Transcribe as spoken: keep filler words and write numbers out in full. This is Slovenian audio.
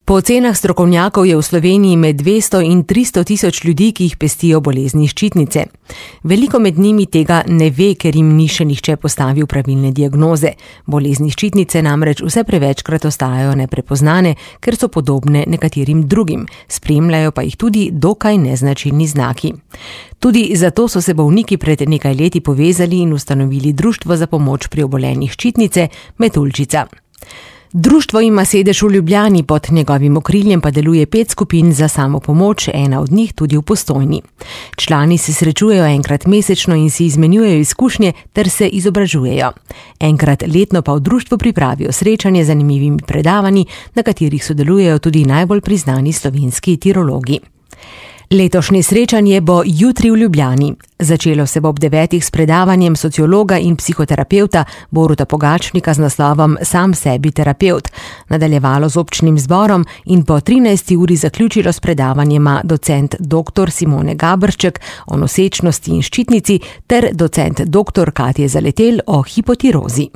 Po ocenah strokovnjakov je v Sloveniji med dvesto in tristo tisoč ljudi, ki jih pestijo bolezni ščitnice. Veliko med njimi tega ne ve, ker jim ni še nihče postavil pravilne diagnoze. Bolezni ščitnice namreč vse prevečkrat ostajajo neprepoznane, ker so podobne nekaterim drugim, spremljajo pa jih tudi dokaj neznačilni znaki. Tudi zato so se bolniki pred nekaj leti povezali in ustanovili Društvo za pomoč pri obolenjih ščitnice Metuljčica. Društvo ima sedež v Ljubljani, pod njegovim okriljem pa deluje pet skupin za samopomoč, ena od njih tudi v Postojni. Člani se srečujejo enkrat mesečno in si izmenjujejo izkušnje ter se izobražujejo. Enkrat letno pa v društvu pripravijo srečanje z zanimivimi predavanji, na katerih sodelujejo tudi najbolj priznani slovenski tirologi. Letošnje srečanje bo jutri v Ljubljani. Začelo se bo ob devetih s predavanjem sociologa in psihoterapevta Boruta Pogačnika z naslovom Sam sebi terapevt, nadaljevalo z občnim zborom in po trinajsti uri zaključilo s predavanjema docent doktor Simone Gabršček o nosečnosti in ščitnici ter docent doktor Katje Zaletel o hipotirozi.